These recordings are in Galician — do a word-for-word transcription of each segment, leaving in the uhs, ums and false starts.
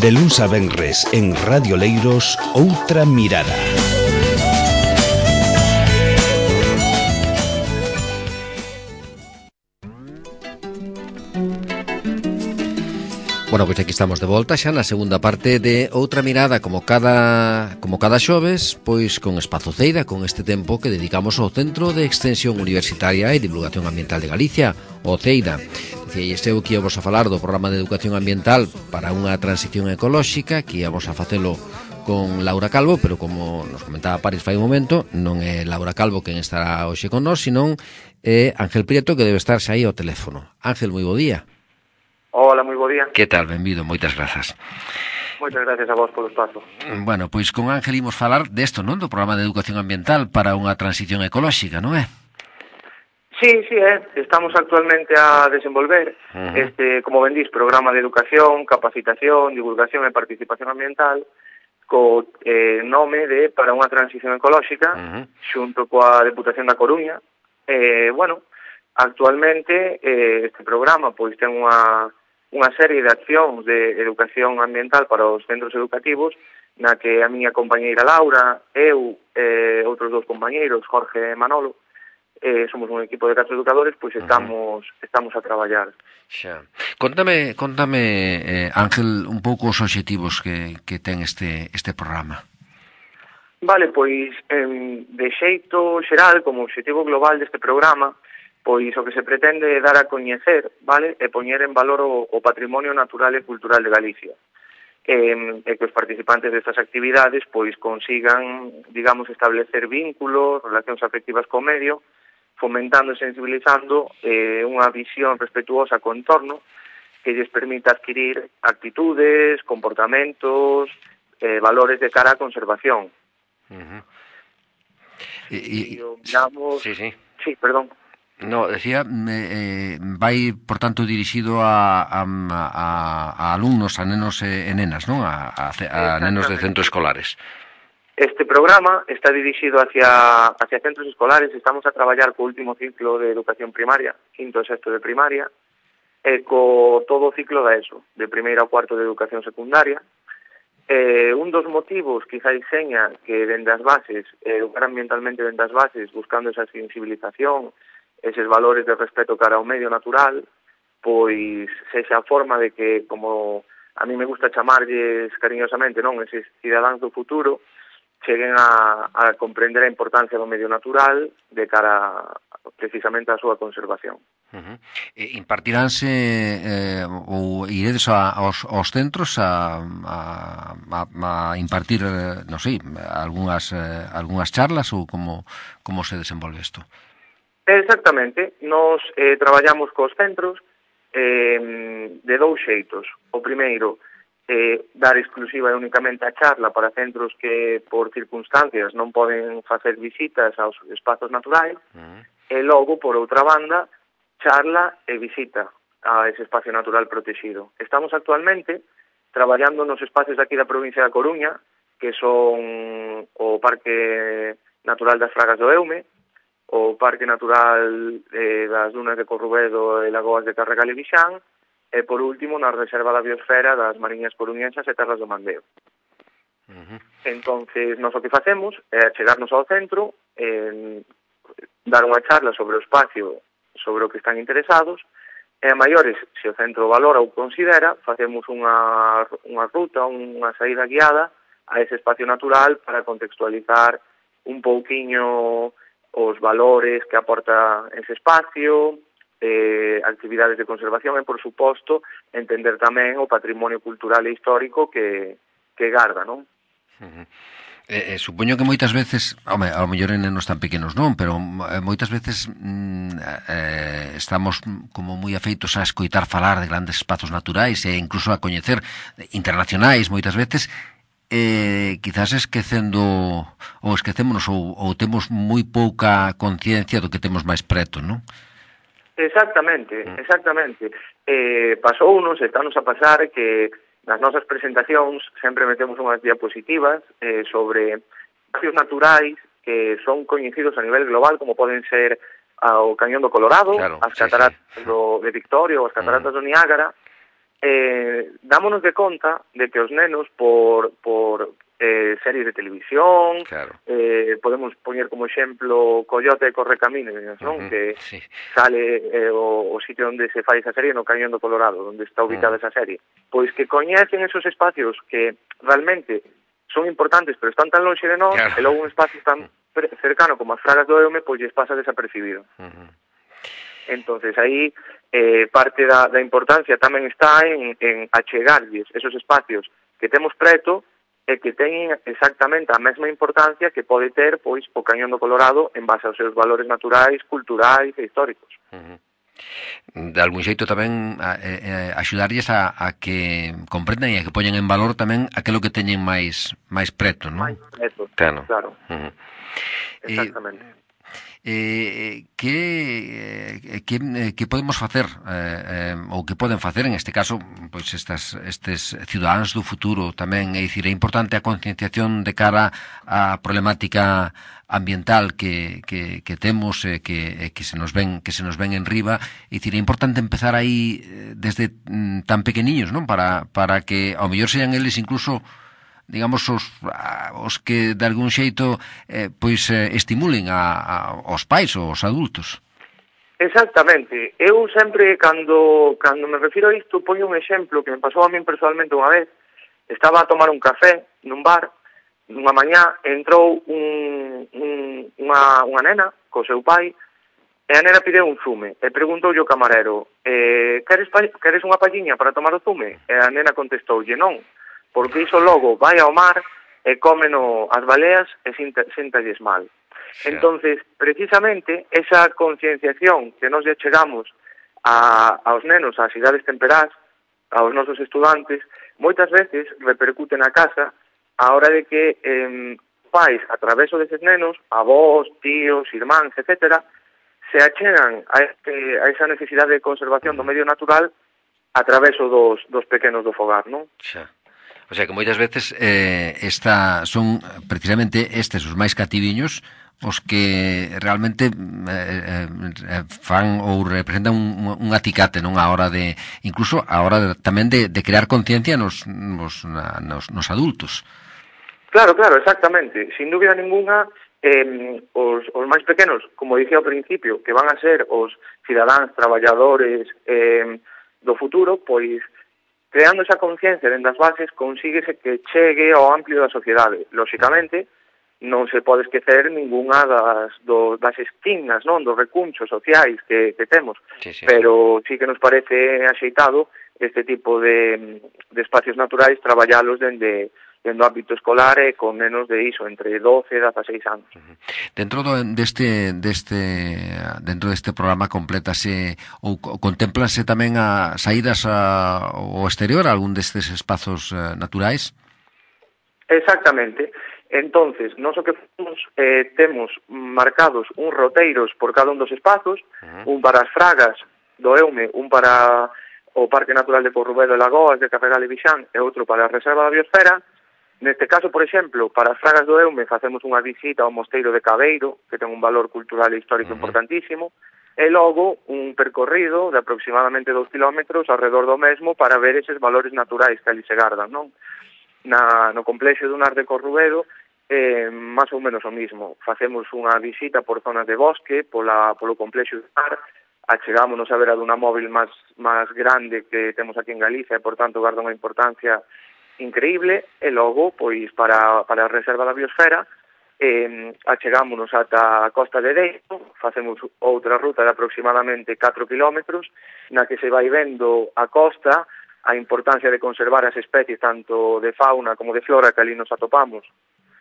De luns a venres en Radio Leiros, Outra Mirada. Bueno, pois aquí estamos de volta xa na segunda parte de Outra Mirada, como cada como cada xoves, pois con Espazo Ceira, con este tempo que dedicamos ao Centro de Extensión Universitaria e Divulgación Ambiental de Galicia, o CEIDA. E estou aquí a vos a falar do programa de educación ambiental para unha transición ecolóxica, que íamos a facelo con Laura Calvo, pero como nos comentaba Paris fai un momento, non é Laura Calvo quen estará hoxe con nós, senón é Ángel Prieto, que debe estar xa aí ao teléfono. Ángel, moi bo día. Hola, moi bo día. Que tal? Benvido, moitas grazas. Moitas gracias a vos polo espazo. Bueno, pois con Ángel imos falar desto, non? Do programa de educación ambiental para unha transición ecolóxica, non é? Sí, sí, eh. Estamos actualmente a desenvolver uh-huh. este, como ben dís, programa de educación, capacitación, divulgación e participación ambiental co eh, nome de Para unha transición ecolóxica uh-huh. xunto coa Deputación da Coruña. Eh, bueno, actualmente eh, este programa pois ten unha, unha serie de accións de educación ambiental para os centros educativos na que a miña compañeira Laura, eu e eh, outros dous compañeiros, Jorge e Manolo, Eh, somos un equipo de catro educadores, pois estamos uh-huh. estamos a traballar. Xa. Contame, contame eh, Ángel, un pouco os obxectivos que, que ten este, este programa. Vale, pois, eh, de xeito xeral, como obxectivo global deste programa, pois o que se pretende é dar a coñecer, vale, e poñer en valor o, o patrimonio natural e cultural de Galicia. E, e que os participantes destas actividades pois consigan, digamos, establecer vínculos, relacións afectivas co medio, fomentando e sensibilizando eh, unha visión respetuosa co entorno que lles permita adquirir actitudes, comportamentos, eh, valores de cara á conservación. Uh-huh. E, e, digamos... Sí, sí. Sí, perdón. No, decía, eh, vai, por tanto, dirixido a, a, a, a alumnos, a nenos e nenas, non? A, a, a nenos de centros escolares. Este programa está dirixido hacia, hacia centros escolares. Estamos a traballar co último ciclo de educación primaria, quinto e sexto de primaria, e co todo o ciclo da ESO, de primeiro ao cuarto de educación secundaria. Eh, un dos motivos, quizá seña que dende as bases, educar ambientalmente dende as bases, buscando esa sensibilización, eses valores de respeto cara ao medio natural, pois sexa a forma de que, como a mí me gusta chamarlles cariñosamente, non, eses cidadáns do futuro, cheguen a, a comprender a importancia do medio natural de cara precisamente á súa conservación. Uh-huh. E impartiránse eh, ou iredes a, aos, aos centros a, a, a, a impartir, eh, non sei, algunhas, eh, algunhas charlas ou como, como se desenvolve isto? Exactamente. Nos eh, traballamos cos centros eh, de dous xeitos. O primeiro, eh, dar exclusiva e únicamente a charla para centros que por circunstancias non poden facer visitas aos espazos naturais, uh-huh. e logo, por outra banda, charla e visita a ese espacio natural protegido. Estamos actualmente traballando nos espacios aquí da provincia da Coruña, que son o Parque Natural das Fragas do Eume, o Parque Natural eh, das Dunas de Corrubedo e Lagoas de Carregal e Vixán, e, por último, na Reserva da Biosfera das Mariñas Coruñesas e Terras do Mandeo. Uh-huh. Entonces, nós o que facemos é chegarnos ao centro, eh, dar unha charla sobre o espacio, sobre o que están interesados, e a maiores, se o centro valora ou considera, facemos unha, unha ruta, unha saída guiada a ese espacio natural para contextualizar un pouquiño os valores que aporta ese espacio, eh, actividades de conservación e, por suposto, entender tamén o patrimonio cultural e histórico que, que garda, non? Uh-huh. Eh, eh, supoño que moitas veces, home, ao mellor en nenos tan pequenos non, pero eh, moitas veces mm, eh, estamos como moi afeitos a escoitar falar de grandes espazos naturais e incluso a coñecer internacionais moitas veces, eh, quizás esquecendo ou esquecémonos ou, ou temos moi pouca conciencia do que temos máis preto, non? Exactamente, exactamente. Eh, pasounos, estános a pasar que nas nosas presentacións sempre metemos unhas diapositivas eh, sobre espacios naturais que son coñecidos a nivel global, como poden ser o Cañón do Colorado, claro, as cataratas sí, sí. do, de Victoria ou as cataratas mm. do Niágara, eh, dámonos de conta de que os nenos por, por eh, series de televisión, claro. eh, podemos poñer como exemplo Coyote e Correcaminos, non? Uh -huh, que sí. Sale eh, o, o sitio onde se fai esa serie no Cañón do Colorado, onde está ubicada uh -huh. esa serie. Pois que coñecen esos espacios que realmente son importantes, pero están tan longe de nós, claro. E logo un espacio tan cercano como as Fragas do Eume, pois lles pasa desapercibido. Uh -huh. Entonces, aí eh, parte da, da importancia tamén está en, en achegarlles esos espacios que temos preto e que teñen exactamente a mesma importancia que pode ter pois o Cañón do Colorado en base aos seus valores naturais, culturais e históricos. Uh -huh. De algún xeito tamén a, a, a axudarlles a, a que comprendan e a que poñan en valor tamén aquilo que teñen máis máis preto, non? Máis preto, claro. claro. Uh -huh. Exactamente. Eh, Eh, que, que, que podemos facer eh, eh, ou que poden facer en este caso pois estas, estes cidadáns do futuro tamén, é dicir, é importante a concienciación de cara á problemática ambiental que, que, que temos e eh, que, eh, que se nos ven que se nos ven en riba, é dicir, é importante empezar aí desde mm, tan pequeniños, non? Para, para que ao mellor sean eles incluso digamos, os, os que de algún xeito eh, pois eh, estimulen a, a, os pais ou os adultos. Exactamente. Eu sempre, cando, cando me refiro a isto, poño un exemplo que me pasou a min personalmente unha vez. Estaba a tomar un café nun bar, nunha mañá, entrou un, un, unha, unha nena co seu pai, e a nena pideu un zume, e preguntou o camarero, eh, queres, queres unha palliña para tomar o zume? E a nena contestoulle, non, porque iso logo vai ao mar e cómeno as baleas e séntalles mal. Sí. Entonces, precisamente, esa concienciación que nos lle chegamos a, aos nenos, ás idades temperás, aos nosos estudantes, moitas veces repercute na casa a hora de que eh, pais, a traveso deses nenos, avós, tíos, irmáns, etcétera, se achegan a, este, a esa necesidade de conservación do medio natural a traveso dos, dos pequenos do fogar, non? Xa. O sea que moitas veces eh, esta, son precisamente estes os máis cativiños os que realmente eh, eh, fan ou representan un, un aticate, non, a hora de, incluso a hora de, tamén de, de crear conciencia nos, nos, nos, nos adultos. Claro, claro, exactamente. Sin dúbida ninguna, eh, os, os máis pequenos, como dicía ao principio, que van a ser os cidadáns, traballadores eh, do futuro, pois creando esa conciencia dentro das bases, consíguese que chegue ao amplio da sociedade. Lóxicamente, non se pode esquecer ninguna das, do, das esquinas, non, dos recunchos sociais que, que temos, sí, sí, pero sí que nos parece axeitado este tipo de, de espacios naturais traballalos dende dentro do ámbito escolar e con menos de iso, entre doce e dezaseis anos. Uh-huh. Dentro do, deste, deste, dentro deste programa complétase ou contémplanse tamén a saídas a, ao exterior, a algún destes espazos uh, naturais? Exactamente. Entonces, nós o que fomos, eh, temos marcados uns roteiros por cada un dos espazos, uh-huh. un para as Fragas do Eume, un para o Parque Natural de Corrubedo e Lagoas de Carregal e Vixán e outro para a Reserva da Biosfera. Neste caso, por exemplo, para as Fragas do Eume facemos unha visita ao Mosteiro de Cabeiro, que ten un valor cultural e histórico uh-huh. importantísimo, e logo un percorrido de aproximadamente dous kilómetros alrededor do mesmo para ver eses valores naturais que ali se gardan, non? Na, no complexo dunar de Corrubedo, eh, máis ou menos o mismo. Facemos unha visita por zonas de bosque, pola, polo complexo dunar, achegámonos a ver a duna móvil máis, máis grande que temos aquí en Galicia e, por tanto, garda unha importancia increíble, e logo, pois, para, para a Reserva da Biosfera, eh, achegámonos ata a Costa de Deiro, facemos outra ruta de aproximadamente catro kilómetros, na que se vai vendo a costa, a importancia de conservar as especies tanto de fauna como de flora que ali nos atopamos,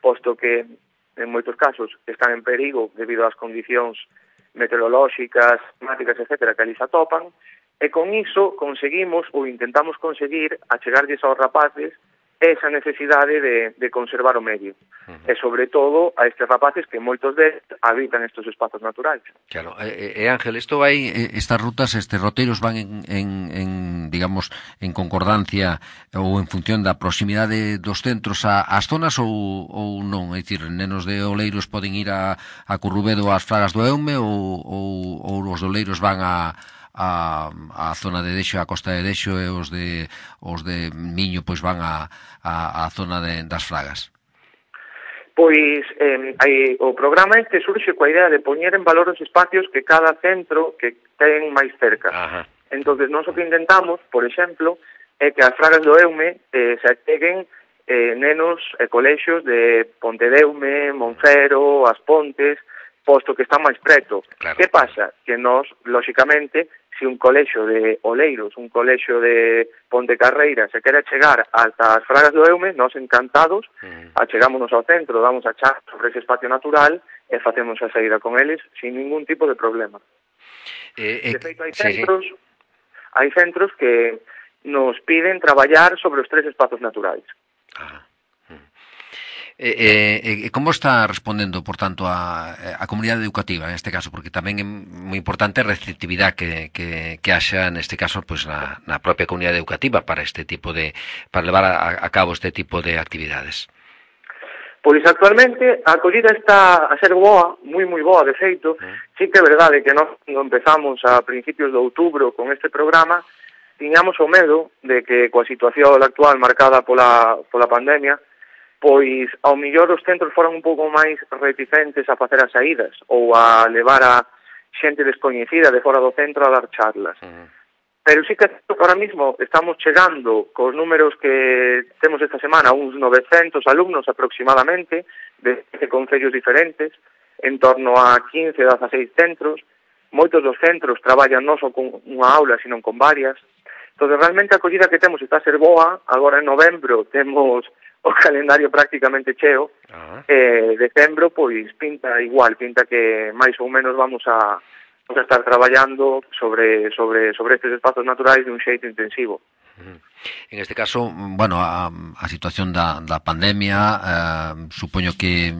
posto que, en moitos casos, están en perigo debido ás condicións meteorolóxicas, climáticas, etcétera, que ali se atopan, e con iso conseguimos, ou intentamos conseguir, achegarlles aos rapaces esa necesidade de, de conservar o medio. Uh-huh. E, sobre todo, a estes rapaces que moitos deles habitan estes espazos naturais. Claro. E, e Ángel, isto vai, estas rutas, estes roteiros van en, en, en, digamos, en concordancia ou en función da proximidade dos centros a, ás zonas ou, ou non? É dicir, nenos de Oleiros poden ir a, a Corrubedo ás Fragas do Eume ou, ou, ou os de Oleiros van a a, a zona de Dexo, a costa de Dexo, e os de os de Miño pois van a, a, a zona de, das Fragas? Pois eh, aí, o programa este surxe coa idea de poñer en valor os espacios que cada centro que ten máis cerca. Ajá. Entonces, nós o que intentamos, por exemplo, é que as Fragas do Eume eh, se acheguen eh, nenos e colexios de Pontedeume, Monfero, As Pontes, posto que están máis preto. Claro. Que pasa? Que nós, lóxicamente, se un colexio de Oleiros, un colexio de Pontecarreira se quere chegar ata as Fragas do Eume, nós encantados, mm. achegámonos ao centro, damos a char sobre ese espacio natural e facemos a saída con eles sin ningún tipo de problema. Eh, eh, de feito, hai sí, centros, sí. hai centros que nos piden traballar sobre os tres espazos naturais. Ah. E, e, e como está respondendo, por tanto, a, a comunidade educativa neste caso, porque tamén é moi importante a receptividade que, que, que haxa neste caso pues, na, na propia comunidade educativa para este tipo de para levar a, a cabo este tipo de actividades? Pois actualmente a acollida está a ser boa, moi moi boa de feito. Mm. Sí que é verdade que nós empezamos a principios de outubro con este programa, tiñamos o medo de que coa situación actual marcada pola, pola pandemia, pois ao millor os centros foran un pouco máis reticentes a facer as saídas ou a levar a xente descoñecida de fora do centro a dar charlas. Uh-huh. Pero sí que ahora mismo estamos chegando cos números que temos esta semana, uns novecentos alumnos aproximadamente, de concellos diferentes, en torno a quince, dezaseis centros. Moitos dos centros traballan non só con unha aula, sino con varias. Entón, realmente a acollida que temos está a ser boa. Agora en novembro temos o calendario prácticamente cheo, uh-huh. eh, decembro, pois, pinta igual, pinta que máis ou menos vamos a, vamos a estar traballando sobre, sobre, sobre estes espazos naturais de un xeito intensivo. Uh-huh. En este caso, bueno, a, a situación da, da pandemia, eh, supoño que,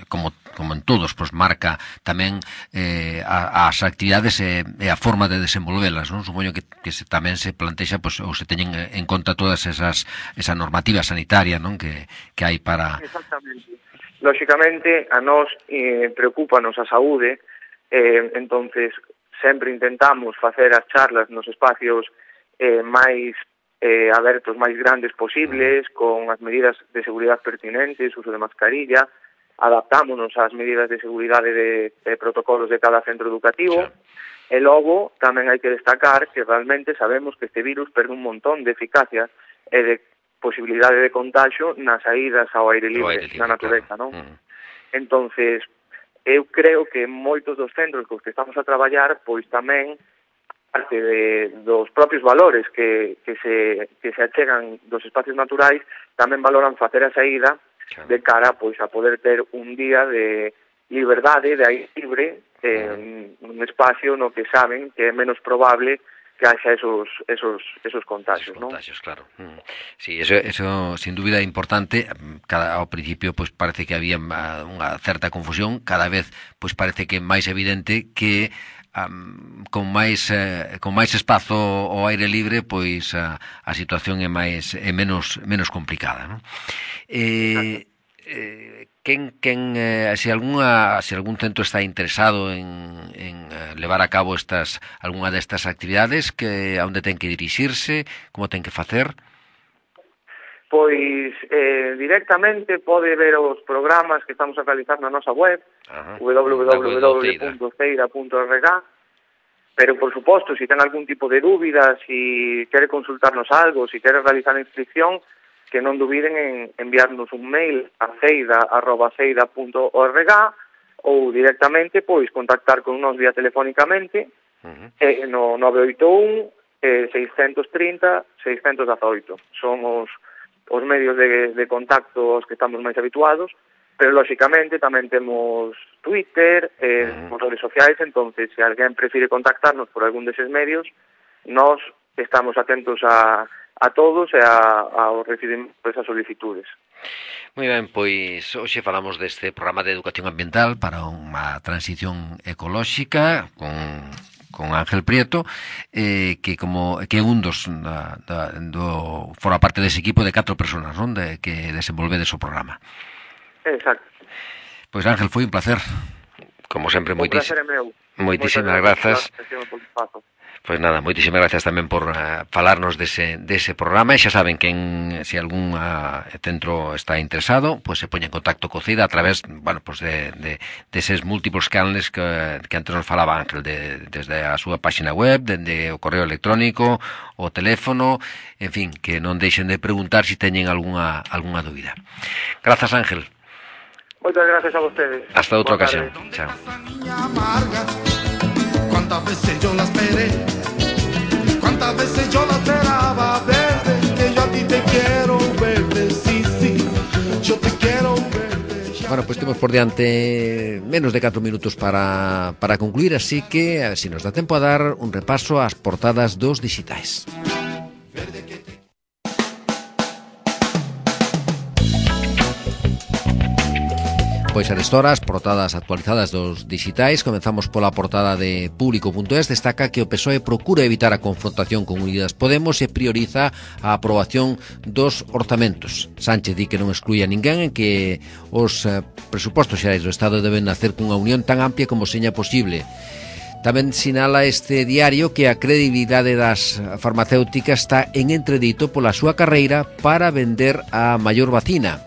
como, como en todos, pues marca tamén eh, a, as actividades e, e a forma de desenvolvelas, non? Supoño que, que se, tamén se plantexa, pues, ou se teñen en conta todas esas esa normativa sanitaria, non? Que, que hai para... Exactamente. Lóxicamente, a nós eh, preocúpanos a saúde, eh, entonces sempre intentamos facer as charlas nos espacios eh, máis eh, abertos, máis grandes posibles, con as medidas de seguridade pertinentes, uso de mascarilla, adaptámonos ás medidas de seguridade de, de protocolos de cada centro educativo, sí. E logo tamén hai que destacar que realmente sabemos que este virus perde un montón de eficacia e de posibilidade de contagio nas saídas ao aire libre, aire libre na natureza, claro. Non? Uh-huh. Entonces, eu creo que moitos dos centros cos que estamos a traballar, pois tamén parte de, dos propios valores que, que, se, que se achegan dos espacios naturais, tamén valoran facer a saída claro. De cara pois a poder ter un día de liberdade, de aire libre, eh, uh-huh. un espacio no que saben que é menos probable que haxa esos esos esos contagios, ¿no? Contagios, claro. Mm. Sí, eso eso sin dúbida é importante. Cada ao principio pois parece que había unha certa confusión, cada vez pois parece que é máis evidente que um, con máis eh, con máis espazo ao aire libre, pois a, a situación é máis é menos menos complicada, ¿no? Eh, eh Quen, quen eh, se algunha se algún centro está interesado en, en eh, levar a cabo estas algunha destas actividades, que a onde ten que dirixirse, como ten que facer? Pois eh, directamente pode ver os programas que estamos a realizar na nosa web, w w w punto ceira punto org, pero por suposto, se si ten algún tipo de dúbida, se si quere consultarnos algo, se si quere realizar a inscripción, que non dubiden en enviarnos un mail a ceida arroba ceida punto org ou directamente pois contactar con nos vía telefónicamente uh-huh. eh, no nove oito un eh, seiscentos trinta seiscentos dezaoito. Son os, os medios de, de contacto aos que estamos máis habituados, pero lóxicamente tamén temos Twitter, eh, uh-huh. redes sociais, entonces se alguén prefire contactarnos por algún deses medios, nós estamos atentos a a todos e a, ao recibir esas solicitudes. Moi ben, pois hoxe falamos deste programa de educación ambiental para unha transición ecolóxica con, con Ángel Prieto, eh, que como que é un dos da, da, do forma parte dese equipo de catro persoas, non, de que desenvolvedes o programa. Exacto. Pois Ángel, foi un placer. Como sempre, moitísimas placer é meu. Moitísimas grazas. Pois nada, moitísimas gracias tamén por uh, falarnos dese, dese programa, e xa saben que en, se algún uh, centro está interesado, pois se poña en contacto co CIDA a través, bueno, pois de, de, de eses múltiplos canales que, que antes nos falaba Ángel, de, desde a súa página web, desde o correo electrónico, o teléfono, en fin, que non deixen de preguntar se si teñen algunha, algunha dúbida. Grazas, Ángel. Moitas gracias a vostedes. Hasta outra ocasión. Chao. Cuántas veces yo la esperé, cuántas veces yo la esperaba verde, que yo a ti te quiero verde, sí, sí, yo te quiero verde. Bueno, pues temos por diante menos de catro minutos para, para concluir, así que a ver si nos dá tempo a dar un repaso ás portadas dos digitais. Pois a horas, portadas actualizadas dos digitais. Comenzamos pola portada de Público punto es. Destaca que o P S O E procura evitar a confrontación con Unidas Podemos e prioriza a aprobación dos orzamentos. Sánchez di que non exclui a ninguén en que os eh, presupostos xerais do Estado deben nacer cunha unión tan amplia como seña posible. Tamén sinala este diario que a credibilidade das farmacéuticas está en entredito pola súa carreira para vender a maior vacina.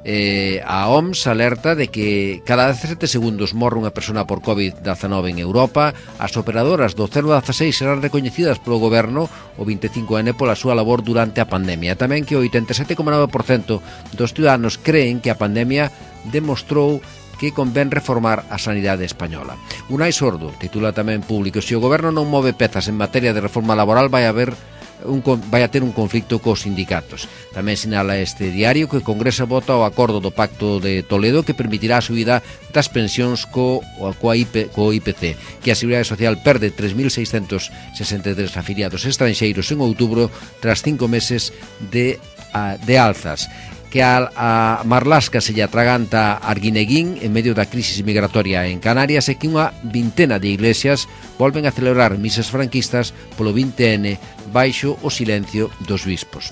Eh, a O M S alerta de que cada dezasete segundos morre unha persona por covid diecinueve en Europa. As operadoras do cero dieciséis serán recoñecidas polo goberno o vinte e cinco ene pola súa labor durante a pandemia. Tamén que o oitenta e sete coma nove por cento dos ciudadanos creen que a pandemia demostrou que convén reformar a sanidade española. Unai Sordo titula tamén Público: se o goberno non move pezas en materia de reforma laboral vai haber Un, vai a ter un conflicto cos sindicatos. Tamén sinala este diario que o Congreso vota o acordo do Pacto de Toledo que permitirá a subida das pensións co, coa I P, co I P C, que a Seguridade Social perde tres mil seiscentos sesenta e tres afiliados estranxeiros en outubro tras cinco meses de, de alzas. Que a, a Marlasca se lle atraganta Arguineguín en medio da crisis migratoria en Canarias e que unha vintena de iglesias volven a celebrar misas franquistas polo vinte ene baixo o silencio dos bispos.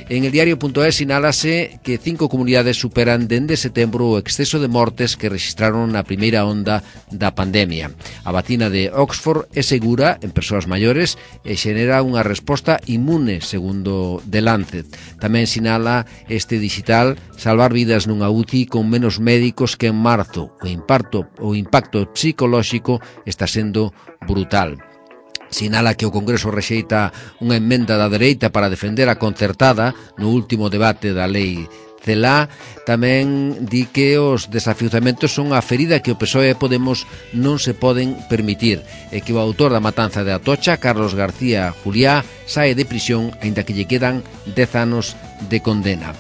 En el diario punto es sinálase que cinco comunidades superan dende setembro o exceso de mortes que registraron na primeira onda da pandemia. A vacina de Oxford é segura en persoas maiores e xenera unha resposta inmune, segundo The Lancet. Tamén sinala este digital salvar vidas nunha U C I con menos médicos que en marzo. O impacto, o impacto psicolóxico está sendo brutal. Sinala que o Congreso rexeita unha emenda da dereita para defender a concertada no último debate da lei Celaá. Tamén di que os desafiuzamentos son a ferida que o P S O E e Podemos non se poden permitir e que o autor da matanza de Atocha, Carlos García Juliá, sae de prisión aínda que lle quedan dez anos de condena.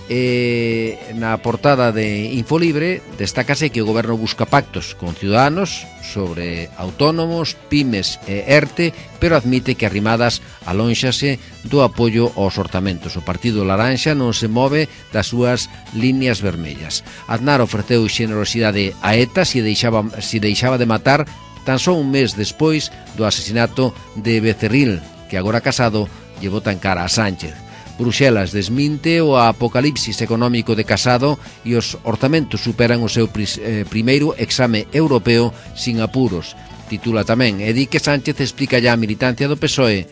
E na portada de Infolibre destácase que o goberno busca pactos con ciudadanos sobre autónomos, pymes e ERTE, pero admite que Arrimadas alónxase do apoio aos orzamentos. O Partido Laranxa non se move das súas líneas vermellas. Aznar ofreceu xenerosidade a ETA se deixaba, se deixaba de matar tan só un mes despois do asesinato de Becerril, que agora Casado lle bota en cara a Sánchez. Bruxelas desminte o apocalipsis económico de Casado e os orzamentos superan o seu pris, eh, primeiro exame europeo sin apuros. Titula tamén e di que Sánchez explica ya a militancia do P S O E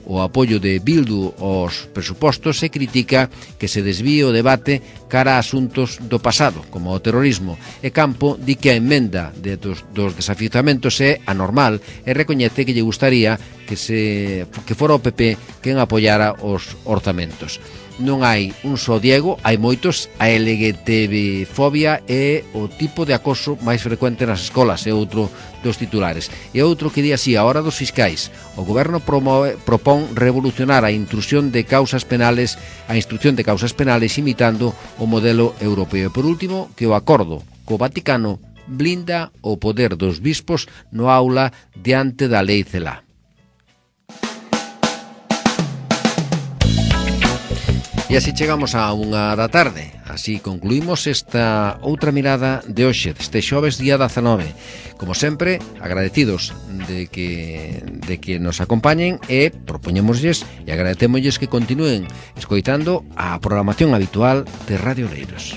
o apoio de Bildu aos presupostos e critica que se desvíe o debate cara a asuntos do pasado, como o terrorismo. E Campo di que a emenda de dos, dos desafiuzamentos é anormal e recoñece que lle gustaría que se que fora o P P quen apoiara os orzamentos. Non hai un só Diego, hai moitos. A L G T B fobia é o tipo de acoso máis frecuente nas escolas, é outro dos titulares. E outro que di así, a hora dos fiscais. O goberno promove, propón revolucionar a intrusión de causas penales, a instrucción de causas penales imitando o modelo europeo. E por último, que o acordo co Vaticano blinda o poder dos bispos no aula diante da lei Celaá. E así chegamos a unha da tarde. Así concluímos esta outra mirada de hoxe, deste xoves día dezanove. Como sempre, agradecidos de que, de que nos acompañen e propoñémoslles e agradecémosles que continúen escoitando a programación habitual de Radio Oleiros.